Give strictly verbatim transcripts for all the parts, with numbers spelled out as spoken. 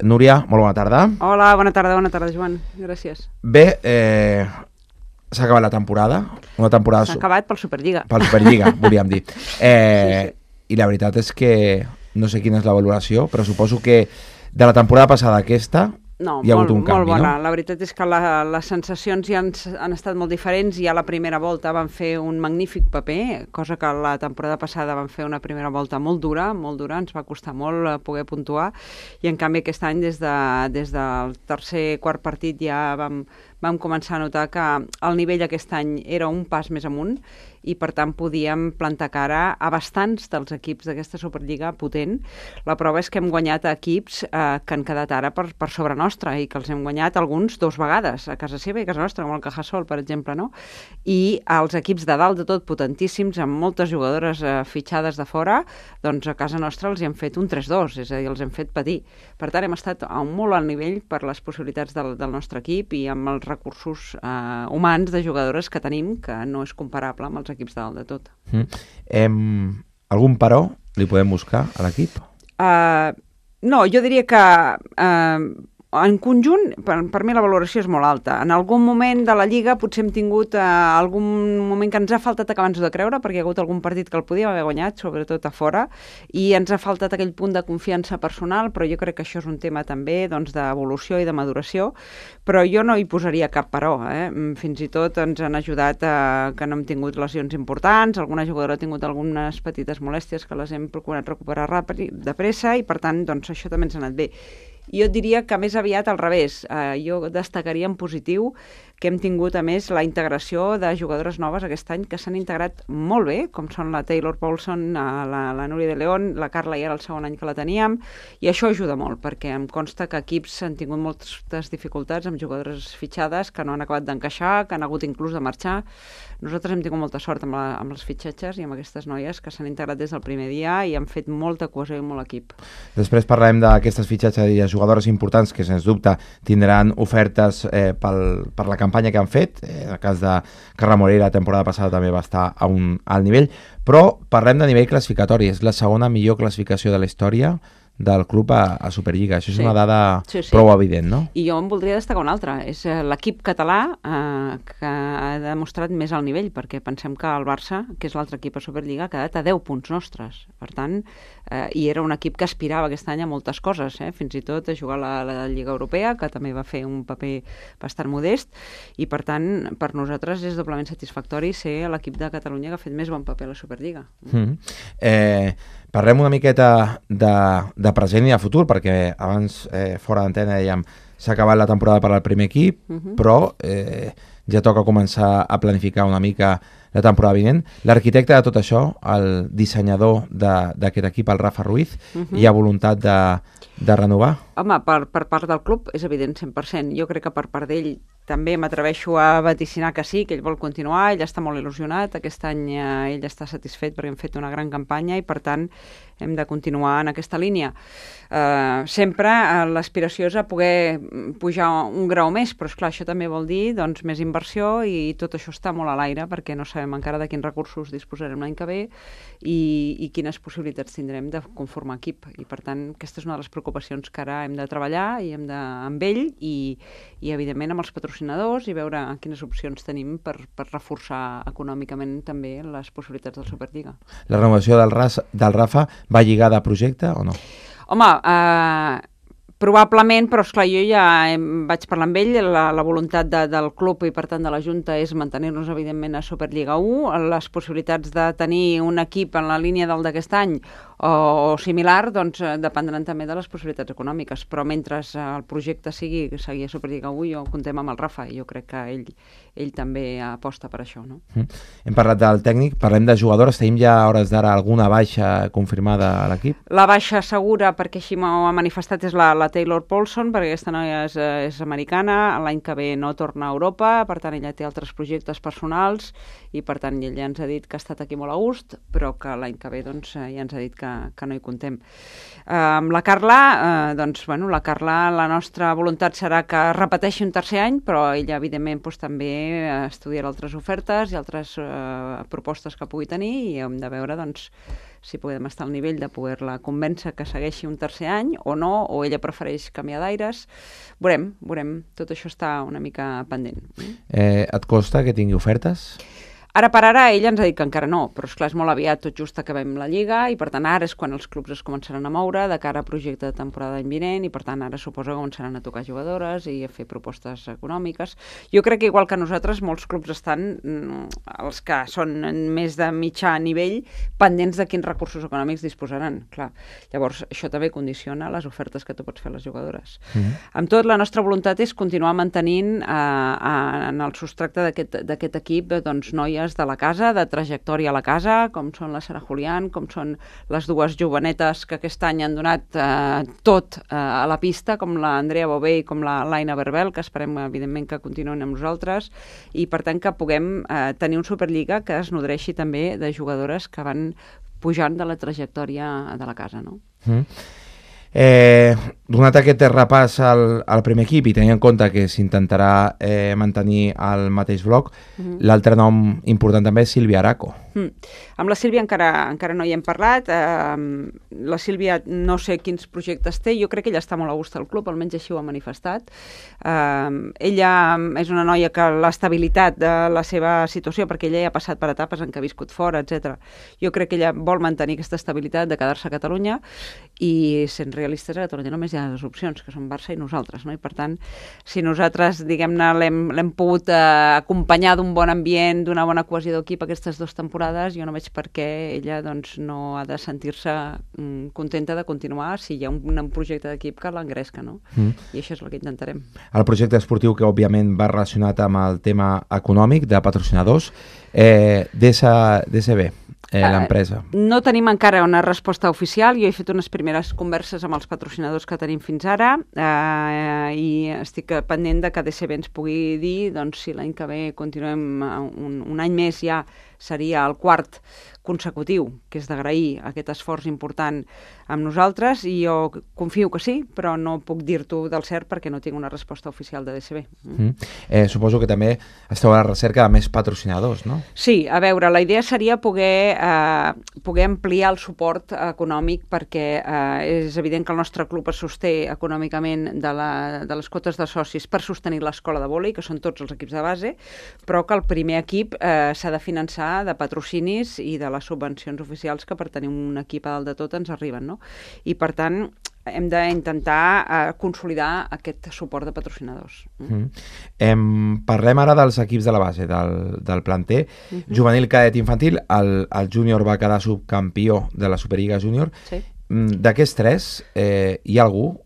Núria, molt bona tarda. Hola, bona tarda, bona tarda, Joan. Gràcies. Bé, eh, s'ha acabat la temporada. Una temporada... S'ha acabat pel Superliga. Pel Superliga, volíem dir. Eh, sí, sí. I la veritat és que no sé quina és la valoració, però suposo que de la temporada passada a aquesta... No, hi ha molt, hagut un canvi, molt bona. No? La veritat és que la, les sensacions ja han, han estat molt diferents. Ja la primera volta van fer un magnífic paper, cosa que la temporada passada van fer una primera volta molt dura, molt dura, ens va costar molt poder puntuar, i en canvi aquest any des, de, des del tercer, quart partit ja vam, vam començar a notar que el nivell aquest any era un pas més amunt, i per tant podíem plantar cara a bastants dels equips d'aquesta Superliga potent. La prova és que hem guanyat equips eh, que han quedat ara per, per sobre nostra, i que els hem guanyat alguns dos vegades, a casa seva i a casa nostra, com el Cajasol, per exemple, no? I els equips de dalt de tot potentíssims, amb moltes jugadores eh, fitxades de fora, doncs a casa nostra els hi hem fet un tres dos, és a dir, els hem fet patir. Per tant, hem estat a un molt alt nivell per les possibilitats del, del nostre equip i amb els recursos eh, humans de jugadores que tenim, que no és comparable amb els equips de dalt de tot. Mm. Em, algun però li podem buscar a l'equip? Uh, no, jo diria que uh, en conjunt, per, per mi la valoració és molt alta. En algun moment de la Lliga potser hem tingut uh, algun moment que ens ha faltat acabar-nos de creure, perquè hi ha hagut algun partit que el podíem haver guanyat, sobretot a fora, i ens ha faltat aquell punt de confiança personal, però jo crec que això és un tema també doncs, d'evolució i de maduració, però jo no hi posaria cap però. Eh? Fins i tot ens han ajudat a que no hem tingut lesions importants, alguna jugadora ha tingut algunes petites molèsties que les hem procurat recuperar ràpid, de pressa, i per tant doncs, això també ens ha anat bé. Jo diria que més aviat al revés. Eh, jo destacaria en positiu que hem tingut, a més, la integració de jugadores noves aquest any que s'han integrat molt bé, com són la Taylor Paulson, la, la Núria de León, la Carla ja era el segon any que la teníem, i això ajuda molt, perquè em consta que equips han tingut moltes dificultats amb jugadores fitxades que no han acabat d'encaixar, que han hagut inclús de marxar. Nosaltres hem tingut molta sort amb, la, amb els fitxatges i amb aquestes noies que s'han integrat des del primer dia i han fet molta cohesió i molt equip. Després parlarem d'aquestes fitxatges i de jugadores importants que, sens dubte, tindran ofertes eh, pel, per la campanya que han fet. Eh, el cas de Carla Morera la temporada passada també va estar a un alt nivell, però parlem de nivell classificatori. És la segona millor classificació de la història del club a, a Superliga. Això és sí. una dada sí, sí. prou evident, no? I jo en voldria destacar una altra. És l'equip català eh, que ha demostrat més al nivell, perquè pensem que el Barça, que és l'altre equip a Superliga, ha quedat a deu punts nostres. Per tant, eh, i era un equip que aspirava aquest any a moltes coses, eh? Fins i tot a jugar a la, la Lliga Europea, que també va fer un paper bastant modest, i per tant, per nosaltres és doblement satisfactori ser l'equip de Catalunya que ha fet més bon paper a la Superliga. Mm. Eh, parlem una miqueta de, de present i de futur, perquè abans, eh, fora d'antena, dèiem s'ha acabat la temporada per al primer equip, uh-huh. però eh, ja toca començar a planificar una mica la temporada vinent. L'arquitecte de tot això, el dissenyador d'aquest equip, el Rafa Ruiz, uh-huh. hi ha voluntat de, de renovar? Home, per, per part del club és evident cent per cent. Jo crec que per part d'ell també m'atreveixo a vaticinar que sí, que ell vol continuar, ell està molt il·lusionat, aquest any eh, ell està satisfet perquè hem fet una gran campanya i per tant hem de continuar en aquesta línia. Eh, sempre eh, l'aspiració és a poder pujar un grau més, però esclar, això també vol dir doncs, més inversió i tot això està molt a l'aire perquè no sabem encara de quins recursos disposarem l'any que ve i, i quines possibilitats tindrem de conformar equip. I per tant, aquesta és una de les preocupacions que ara hem de treballar i hem de, amb ell i, i evidentment amb els patrocinadors i veure quines opcions tenim per, per reforçar econòmicament també les possibilitats del Superliga. La renovació del, Ras, del Rafa va lligada a projecte o no? Home, eh, probablement, però esclar, jo ja vaig parlar amb ell, la, la voluntat de, del club i per tant de la Junta és mantenir-nos evidentment a Superliga u, les possibilitats de tenir un equip en la línia del d'aquest any o, o similar, doncs dependran també de les possibilitats econòmiques, però mentre el projecte sigui seguir a Superliga u, jo contem amb el Rafa i jo crec que ell, ell també aposta per això, no? Mm. Hem parlat del tècnic, parlem de jugadores, tenim ja a hores d'ara alguna baixa confirmada a l'equip? La baixa segura, perquè així m'ho ha manifestat, és la, la Taylor Paulson, perquè aquesta noia és, és americana, l'any que ve no torna a Europa, per tant ella té altres projectes personals i per tant ella ens ha dit que ha estat aquí molt a gust, però que l'any que ve doncs, ja ens ha dit que que, que no hi contem. Uh, amb la Carla, uh, doncs, bueno, la Carla, la nostra voluntat serà que repeteixi un tercer any, però ella, evidentment, doncs, també estudiarà altres ofertes i altres uh, propostes que pugui tenir i hem de veure, doncs, si podem estar al nivell de poder-la convèncer que segueixi un tercer any o no, o ella prefereix canviar d'aires. Veurem, veurem. Tot això està una mica pendent. Eh, et costa que tingui ofertes? Ara per ara ella ens ha dit que encara no, però esclar, és molt aviat, tot just acabem la Lliga i per tant ara és quan els clubs es començaran a moure de cara a projecte de temporada d'any vinent i per tant ara suposo que començaran a tocar jugadores i a fer propostes econòmiques. Jo crec que igual que nosaltres, molts clubs estan, els que són més de mitjà nivell, pendents de quins recursos econòmics disposaran. Clar. Llavors, això també condiciona les ofertes que tu pots fer a les jugadores. Mm-hmm. Amb tot, la nostra voluntat és continuar mantenint eh, en el substracte d'aquest equip doncs, noies de la casa, de trajectòria a la casa, com són la Sara Julián, com són les dues jovenetes que aquest any han donat eh, tot eh, a la pista, com l'Andrea Bové i com la Laina Berbel, que esperem, evidentment, que continuïn amb nosaltres, i per tant que puguem eh, tenir un Superliga que es nodreixi també de jugadores que van pujant de la trajectòria de la casa, no? Mm. Eh, donat aquest repàs al, al primer equip i tenint en compte que s'intentarà eh, mantenir el mateix bloc, mm-hmm. l'altre nom important també és Sílvia Araco. Mm. Amb la Sílvia encara, encara no hi hem parlat. Eh, la Sílvia no sé quins projectes té, jo crec que ella està molt a gust al club, almenys així ho ha manifestat. Eh, ella és una noia que l'estabilitat de la seva situació, perquè ella ja ha passat per etapes en què ha viscut fora, etcètera. Jo crec que ella vol mantenir aquesta estabilitat de quedar-se a Catalunya i sent realistes a Catalunya només hi ha dues opcions, que són Barça i nosaltres, no? I per tant, si nosaltres, diguem-ne, l'hem pogut eh, acompanyar d'un bon ambient, d'una bona cohesió d'equip aquestes dues temporades, jo no veig per què ella doncs, no ha de sentir-se mm, contenta de continuar si hi ha un, un projecte d'equip que l'engresca, no? Mm. I això és el que intentarem. El projecte esportiu que, òbviament, va relacionat amb el tema econòmic de patrocinadors, eh, D S B, eh, l'empresa. Uh, no tenim encara una resposta oficial. Jo he fet unes primeres converses amb els patrocinadors que tenim fins ara uh, i estic pendent de que D S B ens pugui dir doncs, si l'any que ve continuem un, un any més ja seria el quart consecutiu, que és d'agrair aquest esforç important amb nosaltres, i jo confio que sí, però no puc dir-t'ho del cert perquè no tinc una resposta oficial de D S B. Mm. Mm. Eh, suposo que també esteu a la recerca de més patrocinadors, no? Sí, a veure, la idea seria poder, eh, poder ampliar el suport econòmic perquè eh, és evident que el nostre club es sosté econòmicament de, la, de les quotes de socis per sostenir l'escola de vòlei, que són tots els equips de base, però que el primer equip eh, s'ha de finançar de patrocinis i de les subvencions oficials que per tenir un equip a dalt de tot ens arriben, no? I per tant hem d'intentar eh, consolidar aquest suport de patrocinadors. Mm. Em, parlem ara dels equips de la base, del, del planter. Mm-hmm. Juvenil, cadet, infantil, el, el júnior va quedar subcampió de la Superliga Júnior. Sí. D'aquests tres, eh, hi ha algú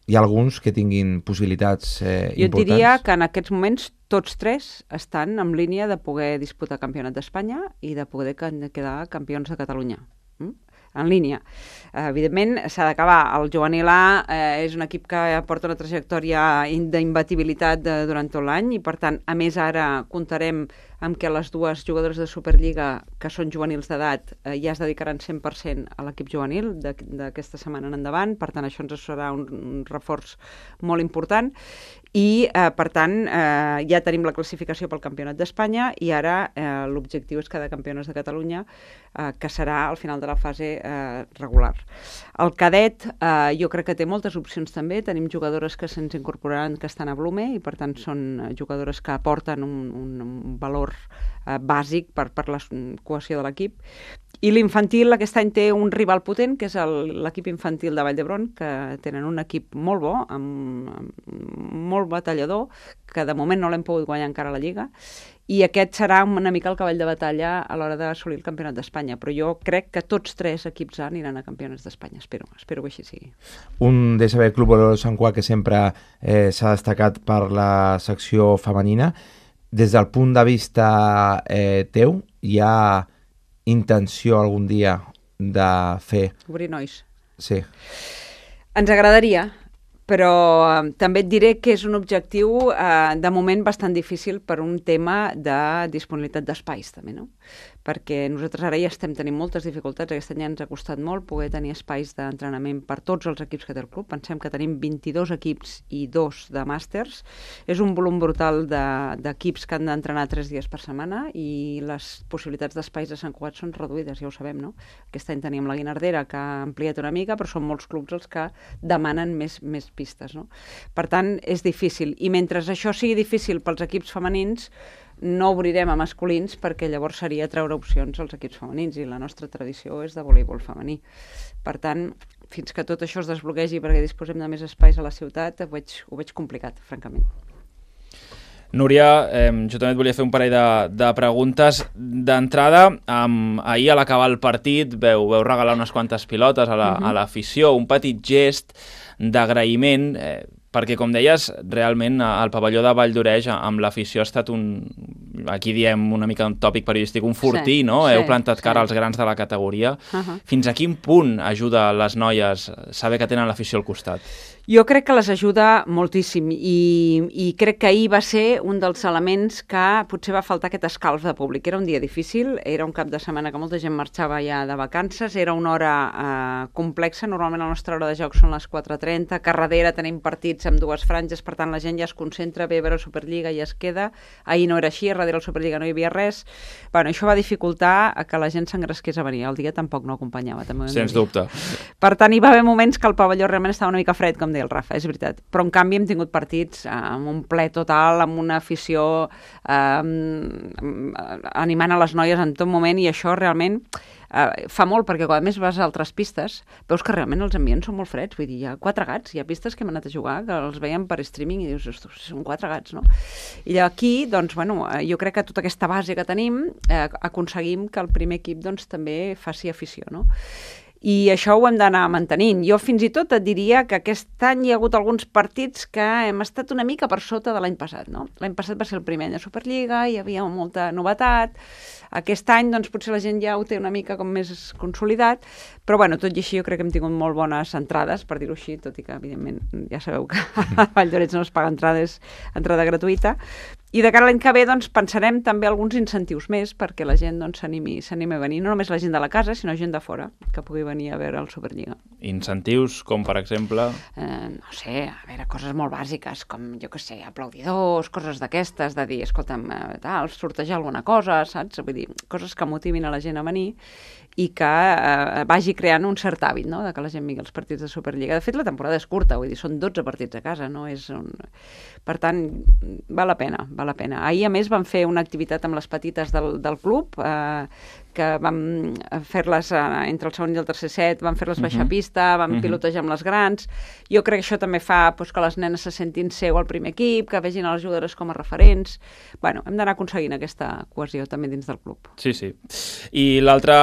hi ha alguns que tinguin possibilitats eh, jo importants? Jo diria que en aquests moments tots tres estan en línia de poder disputar campionat d'Espanya i de poder quedar campions de Catalunya. Mm? En línia. Eh, evidentment, s'ha d'acabar. El juvenil A eh, és un equip que porta una trajectòria d'imbatibilitat durant tot l'any i, per tant, a més ara comptarem amb què les dues jugadores de Superliga, que són juvenils d'edat, eh, ja es dedicaran cent per cent a l'equip juvenil d'aquesta setmana en endavant. Per tant, això ens serà un, un reforç molt important. I, eh, per tant, eh, ja tenim la classificació pel Campionat d'Espanya i ara eh, l'objectiu és quedar campiones de Catalunya, eh, que serà al final de la fase eh, regular. El cadet, eh, jo crec que té moltes opcions també. Tenim jugadores que se'ns incorporaran que estan a Blume i, per tant, són jugadores que aporten un, un, un valor eh, bàsic per, per la cohesió de l'equip. I l'infantil aquest any té un rival potent, que és l'equip infantil de Vall d'Hebron, que tenen un equip molt bo, amb, amb molt batallador, que de moment no l'hem pogut guanyar encara a la Lliga, i aquest serà una mica el cavall de batalla a l'hora d'assolir el Campionat d'Espanya. Però jo crec que tots tres equips A aniran a Campionats d'Espanya, espero, espero que així sigui. Un D S B Club Olor Sant Cugat que sempre eh, s'ha destacat per la secció femenina. Des del punt de vista eh, teu, hi ha intenció algun dia de fer... Obrir nois. Sí. Ens agradaria, però eh, també et diré que és un objectiu eh, de moment bastant difícil per un tema de disponibilitat d'espais també, no? perquè nosaltres ara ja estem tenint moltes dificultats. Aquest any ens ha costat molt poder tenir espais d'entrenament per tots els equips que té el club. Pensem que tenim vint-i-dos equips i dos de màsters. És un volum brutal d'equips de, que han d'entrenar tres dies per setmana i les possibilitats d'espais de Sant Cugat són reduïdes, ja ho sabem, no? Aquest any teníem la Guinardera, que ha ampliat una mica, però són molts clubs els que demanen més, més pistes, no? Per tant, és difícil. I mentre això sigui difícil pels equips femenins, no obrirem a masculins perquè llavors seria treure opcions als equips femenins i la nostra tradició és de voleibol femení. Per tant, fins que tot això es desbloquegi perquè disposem de més espais a la ciutat, ho veig, ho veig complicat, francament. Núria, eh, jo també et volia fer un parell de, de preguntes. D'entrada, eh, ahir a l'acabar el partit veu, veu regalar unes quantes pilotes a l'afició, la, uh-huh. un petit gest d'agraïment, eh, perquè, com deies, realment el pavelló de Valldoreix amb l'afició ha estat un, aquí diem una mica un tòpic periodístic, un fortí, sí, no? Sí, heu plantat cara sí. als grans de la categoria. Uh-huh. Fins a quin punt ajuda les noies saber que tenen l'afició al costat? Jo crec que les ajuda moltíssim i, i crec que ahir va ser un dels elements que potser va faltar aquest escalf de públic. Era un dia difícil, era un cap de setmana que molta gent marxava ja de vacances, era una hora eh, complexa, normalment la nostra hora de joc són les quatre trenta, que darrere tenim partits amb dues franges, per tant la gent ja es concentra, ve a veure la Superliga i es queda. Ahir no era així, darrere la Superliga no hi havia res. Bueno, això va dificultar que la gent s'engresqués a venir. El dia tampoc no acompanyava. També Sens dubte. Per tant, hi va haver moments que el pavelló realment estava una mica fred, com deia el Rafa, és veritat. Però en canvi hem tingut partits amb un ple total, amb una afició eh, animant a les noies en tot moment, i això realment eh, fa molt, perquè quan més vas a altres pistes veus que realment els ambients són molt freds. Vull dir, hi ha quatre gats, hi ha pistes que hem anat a jugar que els veiem per streaming i dius, ostres, són quatre gats, no? I aquí, doncs, bueno, jo crec que tota aquesta base que tenim eh, aconseguim que el primer equip doncs també faci afició, no? I això ho hem d'anar mantenint. Jo fins i tot et diria que aquest any hi ha hagut alguns partits que hem estat una mica per sota de l'any passat, no? L'any passat va ser el primer any de Superliga, hi havia molta novetat. Aquest any, doncs, potser la gent ja ho té una mica com més consolidat, però, bueno, tot i així jo crec que hem tingut molt bones entrades, per dir-ho així, tot i que, evidentment, ja sabeu que a Valldoreix no es paga entrades, entrada gratuïta. I de cara a l'any que ve, doncs, pensarem també alguns incentius més perquè la gent doncs, s'animi s'animi a venir, no només la gent de la casa, sinó gent de fora, que pugui venir a veure el Superliga. Incentius, com per exemple? Eh, no sé, a veure, coses molt bàsiques, com, jo què sé, aplaudidors, coses d'aquestes, de dir, escolta'm, eh, tal, sortejar alguna cosa, saps? Vull dir, coses que motivin a la gent a venir i que eh, vagi creant un cert hàbit, no?, de que la gent vingui als partits de Superliga. De fet, la temporada és curta, vull dir, són dotze partits a casa, no és un... Per tant, val la pena, val la pena. Ahir, a més, vam fer una activitat amb les petites del, del club, eh, que vam fer-les eh, entre el segon i el tercer set, vam fer-les baixar uh-huh. pista, vam uh-huh. pilotejar amb les grans. Jo crec que això també fa pues, que les nenes se sentin seu al primer equip, que vegin a les jugadores com a referents. Bueno, hem d'anar aconseguint aquesta cohesió també dins del club. Sí, sí. I l'altra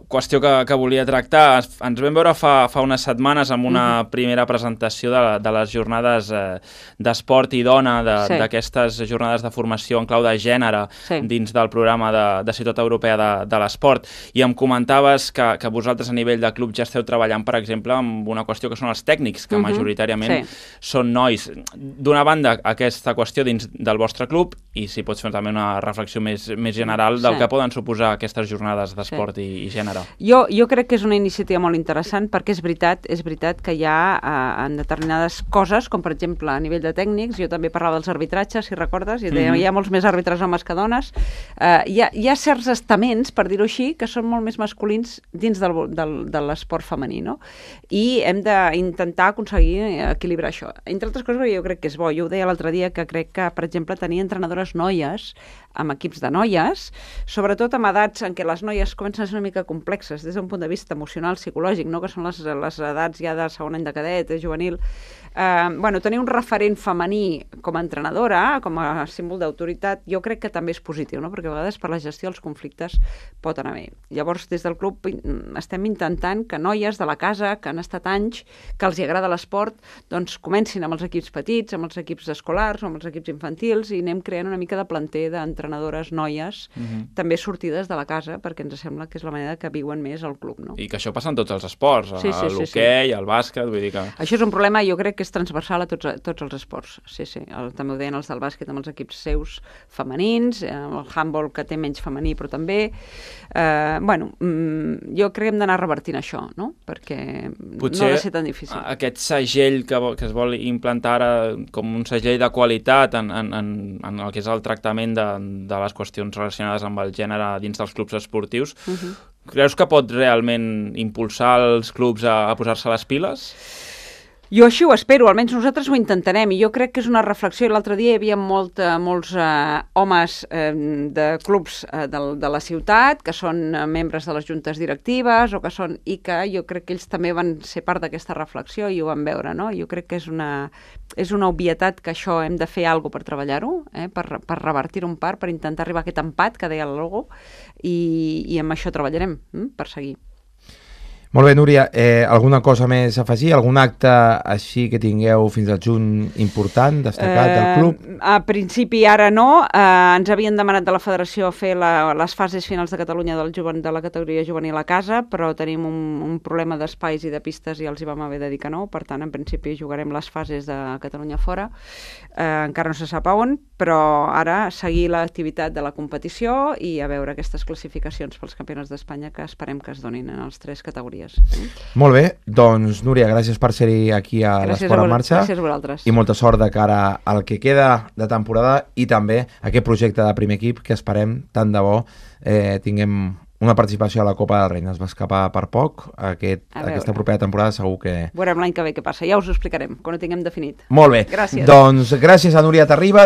qüestió que, que volia tractar, ens vam veure fa, fa unes setmanes amb una uh-huh. primera presentació de, de les jornades eh, d'esport i dona, d'aquestes sí. jornades de formació en clau de gènere sí. dins del programa de, de Ciutat Europea de, de l'Esport. I em comentaves que, que vosaltres a nivell de club ja esteu treballant, per exemple, amb una qüestió que són els tècnics, que uh-huh. majoritàriament sí. són nois. D'una banda, aquesta qüestió dins del vostre club, i si pots fer també una reflexió més, més general del sí. que poden suposar aquestes jornades d'esport sí. i, i gènere. Jo, jo crec que és una iniciativa molt interessant perquè és veritat, és veritat que hi ha eh, en determinades coses, com per exemple a nivell de tècnics, jo també parlava dels arbitratges, si recordes, i deia, mm-hmm. hi ha molts més àrbitres homes que dones, eh, hi, ha, hi ha certs estaments, per dir-ho així, que són molt més masculins dins del, del, de l'esport femení, no? I hem d'intentar aconseguir equilibrar això. Entre altres coses, jo crec que és bo. Jo ho deia l'altre dia, que crec que, per exemple, tenir entrenadores noies amb equips de noies, sobretot amb edats en què les noies comencen a ser una mica complexes des d'un punt de vista emocional, psicològic, no? Que són les, les edats ja de segon any de cadet, juvenil. Eh, bueno, tenir un referent femení com a entrenadora, com a símbol d'autoritat, jo crec que també és positiu, no? Perquè a vegades per la gestió dels conflictes pot anar bé. Llavors, des del club estem intentant que noies de la casa, que han estat anys, que els hi agrada l'esport, doncs comencin amb els equips petits, amb els equips escolars, amb els equips infantils, i anem creant una mica de planter d'entrenadores noies, uh-huh. també sortides de la casa, perquè ens sembla que és la manera que viuen més al club, no? I que això passa en tots els esports, sí, sí, l'hoquei, sí, sí. el bàsquet, vull dir que... Això és un problema, jo crec que és transversal a tots, a tots els esports. Sí, sí, el, també ho deien els del bàsquet amb els equips seus femenins, eh, el handball que té menys femení però també. Eh, bueno, mm, jo crec que hem d'anar revertint això, no? Perquè potser no ha de ser tan difícil. Aquest segell que, que es vol implantar ara com un segell de qualitat en, en, en, en el que és el tractament de, de les qüestions relacionades amb el gènere dins dels clubs esportius, uh-huh. creus que pot realment impulsar els clubs a, a posar-se les piles? Jo així ho espero, almenys nosaltres ho intentarem, i jo crec que és una reflexió. L'altre dia hi havia molt, eh, molts eh, homes eh, de clubs eh, de, de la ciutat que són eh, membres de les juntes directives o que són, i que jo crec que ells també van ser part d'aquesta reflexió i ho van veure, no? Jo crec que és una, és una obvietat que això hem de fer alguna cosa per treballar-ho, eh? per, per revertir-ho en part, per intentar arribar a aquest empat que deia el logo, i, i amb això treballarem, hm? per seguir. Molt bé, Núria, eh, alguna cosa més a afegir? Algun acte així que tingueu fins al juny important, destacat del club? Eh, a principi ara no, eh, ens havien demanat de la federació fer la, les fases finals de Catalunya del joven, de la categoria juvenil a casa, però tenim un, un problema d'espais i de pistes i els hi vam haver de dir que no, per tant, en principi jugarem les fases de Catalunya fora, eh, encara no se sap on, però ara seguir l'activitat de la competició i a veure aquestes classificacions pels campionats d'Espanya que esperem que es donin en les tres categories. Molt bé, doncs Núria, gràcies per ser-hi aquí a l'Esport en Marxa. Gràcies a vosaltres. I molta sort de cara al que queda de temporada i també aquest projecte de primer equip que esperem, tant de bo, eh, tinguem una participació a la Copa del Rei. Es va escapar per poc. Aquest, aquesta propera temporada segur que... Veurem l'any que ve què passa. Ja us ho explicarem, quan ho tinguem definit. Molt bé. Gràcies. Doncs gràcies a Núria Terribas.